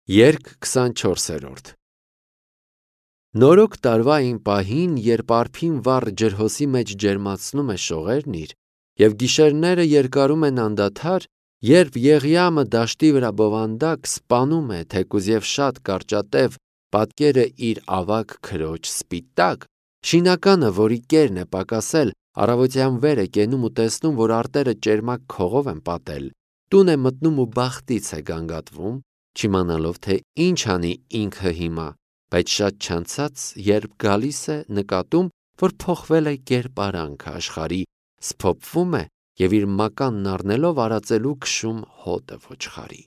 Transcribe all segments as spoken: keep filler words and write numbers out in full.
Երգ քսանչորսերորդ Նորոգ տարվա այն պահին, երբ արփին վառ ջրհոսի մեջ ջերմացնում է շողերն իր, և գիշերները երկարում են անդադար, երբ Եղիամը դաշտի վրա բովանդակ սպանում է թեկուզ և շատ կարճատև պատկերը իր ավագ քրոջ սպիտակ, շինականը, որի կերն է պակասել, առավոտյան վեր է կենում ու տեսնում, որ արտերը ճերմակ քողով են պատել, տուն է մտնում ու բախտից է գանգատվում, չիմանալով, թե ինչ անի ինքը հիմա, բայց շատ չանցած, երբ գալիս է, նկատում, որ փոխվել է կերպարանքը աշխարհի, սփոփվում է և իր մականն առնելով արածելու քշում հոտը ոչխարի։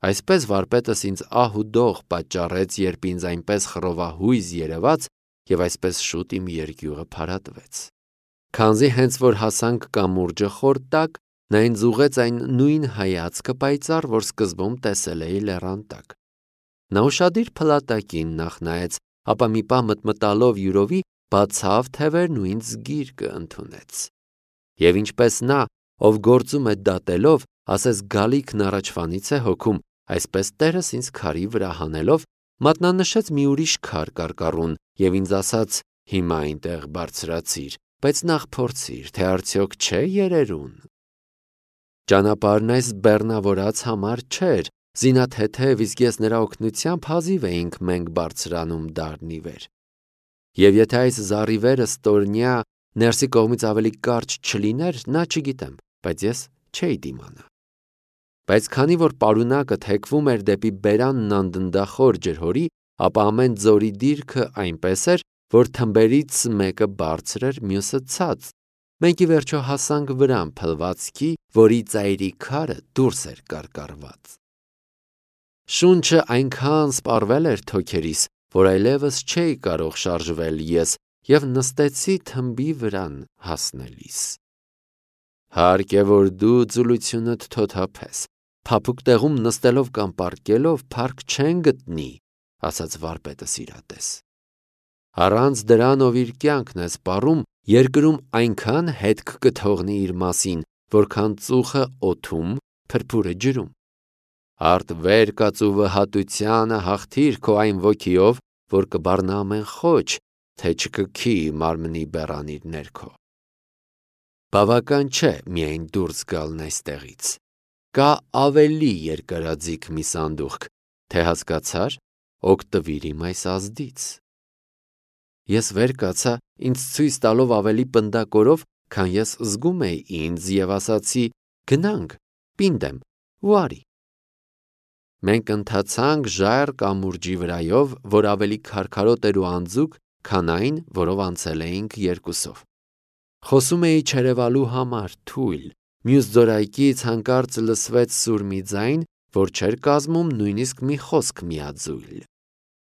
Այսպես վարպետս ինձ ահ ու դող պատճառեց, երբ ինձ այնպես խռովահույզ երևաց, և այսպես շուտ իմ երկյուղը փարատվեց։ Քանզի հենց որ հասանք կամուրջը խոր տակ, նա ինձ ուղղեց այն նույն հայացքը պայծառ, որ սկզբում տեսել էի լեռան տակ։ Նա ուշադիր փլատակին նախ նայեց, ապա մի պահ մտմտալով յուրովի բացավ թևերն ու ինձ գիրկը ընդունեց։ Եվ ինչպես նա, ով գործում է դատելով, ասես գալիքն առաջվանից է հոգում, այսպես Տերս ինձ քարի վրա հանելով, մատնանշեց մի ուրիշ քար կարկառուն և ինձ ասաց. հիմա այնտեղ բարձրացիր, բայց նախ փորձիր, թե արդյոք չէ երերուն։ Ճանապարհն այս բեռնավորած համար չէր, զինաթեթև, իսկ ես նրա օգնությամբ հազիվ էինք մենք բարձրանում դարն ի վեր։ Եվ եթե այս զառիվերը ստորնյա ներսի կողմից ավելի կարճ չլիներ, նա չգիտեմ, բայց ես չէի դիմանա։ Բայց քանի որ պարունակը թեքվում էր դեպի բերանն անդնդախոր ջրհորի, ապա ամեն ձորի դիրքը այնպես էր, որ թմբերից մեկը բարձր էր, մյուսը ցած, մենք ի վերջո հասանք վրան փլվածքի, որի ծայրի քարը դուրս էր կարկառված։ Շունչը այնքան սպառվել էր թոքերիս, որ այլևս չէի կարող շարժվել ես և նստեցի թմբի վրան հասնելիս։ Հարկ է, որ դու ձուլությունդ թոթափես, փափուկ տեղում նստելով կամ պառկելով փառք չեն գտնի, ասաց վարպետս իրատես։ Առանց դրան, ով իր կյանքն է սպառում, երկրում այնքան հետք կթողնի իր մասին, որքան ծուխը օդում, փրփուրը ջրում։ Արդ վեր կաց ու վհատությանը հաղթիր քո այն ոգիով, որ կբառնա ամեն խոչ, թե չկքի մարմնի բեռանիր ներքո։ Բավական չէ միայն դուրս գալն այստեղից։ Կա ավելի երկարաձիգ մի սանդուղք, թե հասկացար, օգտվիր իմ այս ազդից։ Ես վեր կացա, ինձ ցույց տալով ավելի պնդակորով, քան ես զգում էի ինձ, և ասացի. գնանք, պինդ եմ, ու արի։ Մենք ընթացանք ժայռ կամուրջի վրայով, որ ավելի քարքարոտ էր ու անձուկ, քան այն, որով անցել էինք երկուսով։ Խոսում էի չերևալու համար, թույլ, մյուս ձորայքից հանկարծ լսվեց սուր մի ձայն, որ չէր կազմում նույնիսկ մի խոսք միաձույլ։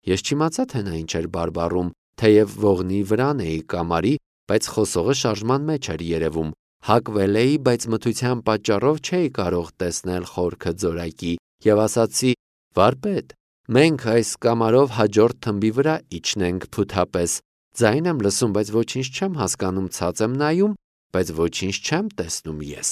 Ես չիմացա, թե նա ինչ էր բարբառում, թեև ողնի վրան էի կամարի, բայց խոսողը շարժման մեջ էր երևում, հակվել էի, բայց մթության պատճառով չէի կարող տեսնել խորքը ձորայքի, և ասացի. վարպետ, մենք այս կամարով հաջորդ թմբի վրա իջնենք փութապես, ձայն եմ լսում, բայց ոչինչ չեմ հասկանում, ցած եմ նայում, բայց ոչինչ չեմ տեսնում ես։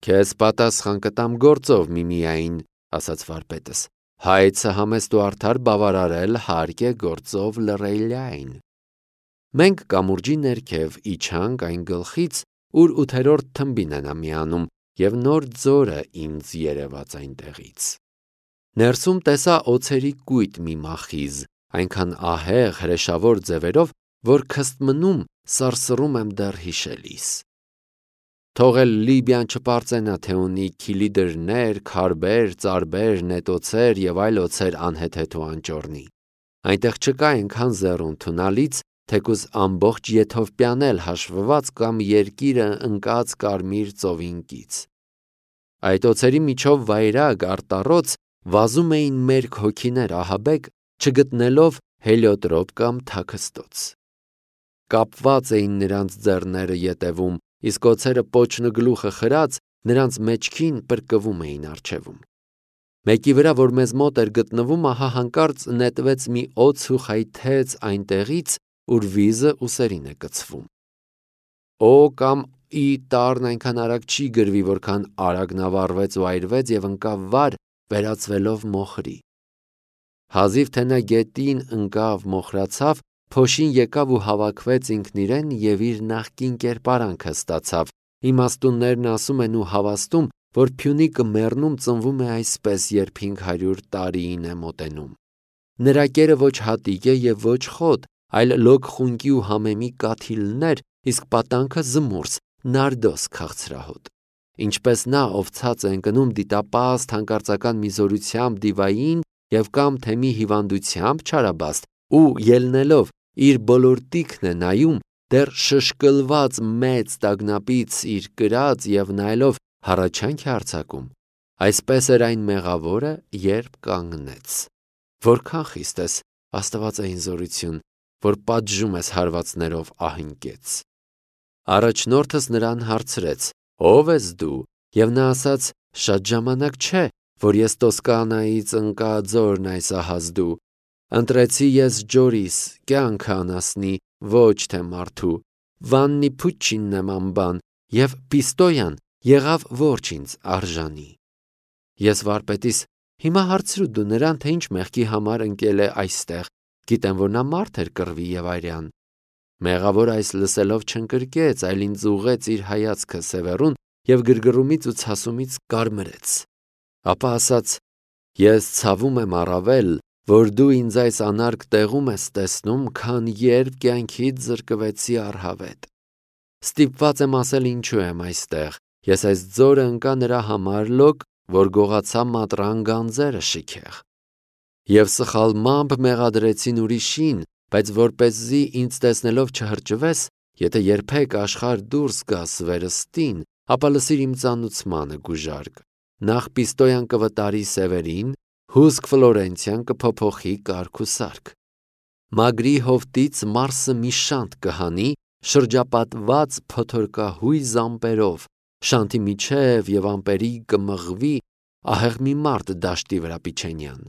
Քեզ պատասխան կտամ գործով միմիայն, ասաց վարպետս, հայցը համեստ ու արդար բավարարել հարկ է գործով լռելյայն։ Մենք կամուրջի ներքև իջանք այն գլխից, ուր ութերորդ թմբին է նա միանում, և նոր ձորը ինձ երևաց այնտեղից։ Ներսում տեսա օձերի կույտ մի մախիզ, այնքան ահեղ հրեշավոր ձևերով, որ քստմնում սարսռում եմ դեռ հիշելիս։ Թող էլ Լիբիան չպարծենա, թե ունի քիլիդրներ, քարբեր, ծարբեր, նետոցեր և այլ օձեր անհեթեթ ու անճոռնի։ Այնտեղ չկա այնքան զեռ ու ընդունալից, թեկուզ ամբողջ Եթովպիան էլ հաշվված կամ երկիրը ընկած կարմիր ծովին կից։ Այդ օձերի միջով վայրագ արտառոց վազում էին մերկ հոգիներ ահաբեկ, չգտնելով հելիոտրոպ կամ թաքստոց։ Կապված էին նրանց ձեռները ետևում, իսկ օձերը պոչն ու գլուխը խրած, նրանց մեջքին պրկվում էին առջևում։ Մեկի վրա, որ մեզ մոտ էր գտնվում, ահա հանկարծ նետվեց մի օձ ու խայթեց այնտեղից, ուր վիզը ուսերին է կցվում։ Օ կամ ի տառն այնքան արագ չի գրվի, որքան արագ նա վառվեց ու այրվեց և ընկավ վար, վերածվելով մոխրի։ Հազիվ թե նա գետին ընկավ, մոխրացավ, փոշին եկավ ու հավաքվեց ինքն իրեն և իր նախկին կերպարանքը ստացավ։ Իմաստուններն ասում են ու հավաստում, որ Փյունիկը մեռնում ծնվում է այսպես, երբ հինգ հարյուր տարիին է մոտենում։ Նրա կերը ոչ հատիկ է և ոչ խոտ, այլ լոկ խունկի ու համեմի կաթիլներ, իսկ պատանքը զմուրս, նարդոս քաղցրահոտ։ Ինչպես նա, ով ցած է ընկնում դիտապահ հանկարծական մի զորությամբ դիվային և կամ թե մի հիվանդությամբ չարաբաստ ու ելնելով իր բոլոր տիքն է նայում, դեռ շշկլված մեծ տագնապից իր կրած և նայելով հառաչանք է արձակում, այսպես էր այն մեղավորը, երբ կանգնեց։ Որքան խիստ ես, աստվածային զորություն, որ պատժում ես հարվածներով ահին կեց։ Առաջնորդս նրան հարցրեց. «Ո՞վ ես դու»։ Եվ նա ասաց. «Շատ ժամանակ չէ, որ ես Տոսկանայից ընկա ձորն այս ահազ դու։ Ընտրեցի ես Ջորիս, կյանքը անասնի, ոչ թե մարդու, Վաննի Փուչչինն եմ անբան, և Պիստոյան եղավ որջ ինձ արժանի»։ Ես վարպետիս. «Հիմա հարցրու դու նրան, թե ինչ մեղքի համար ընկել է այստեղ, գիտեմ, որ նա մարդ էր կռվի և արյան»։ Մեղավորը այս լսելով չընկրկեց, այլ ինձ ուղղեց իր հայացքը սևեռուն և գրգռումից ու ցասումից կարմրեց։ Ապա ասաց. «Ես ցավում եմ առավել, որ դու ինձ այս անարգ տեղում ես տեսնում, քան երբ կյանքիդ զրկվեցի առհավետ։ Ստիպված եմ ասել ինչու եմ այստեղ, ես այս ձորը ընկա նրա համար լոկ, որ գողացա մատռան գանձերը շիքեղ։ Եվ սխալմամբ մեղադրեցին ուրիշին, բայց որպեսզի ինձ տեսնելով չհրճվես, եթե երբեք աշխարհ դուրս գաս վերստին, ապա լսիր իմ ծանուցմանը գուժարկ. նախ Պիստոյան կվտարի սևերին, հուսք Ֆլորենցիան կփոփոխի կարգ ու սարք։ Մագրի հովտից Մարսը մի շանթ կհանի, շրջապատված փոթորկահույզ ամպերով, շանթի միջև և ամպերի կմղվի ահեղ մի մարդ դաշտի վրա Պիչենյան։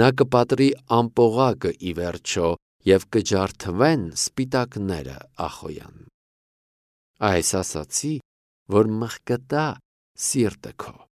Նա կպատրի ամպողակը ի վերջո և կջարդվեն սպիտակները Ախոյան։ Այս ասացի, որ մղկտա սիրտը քո։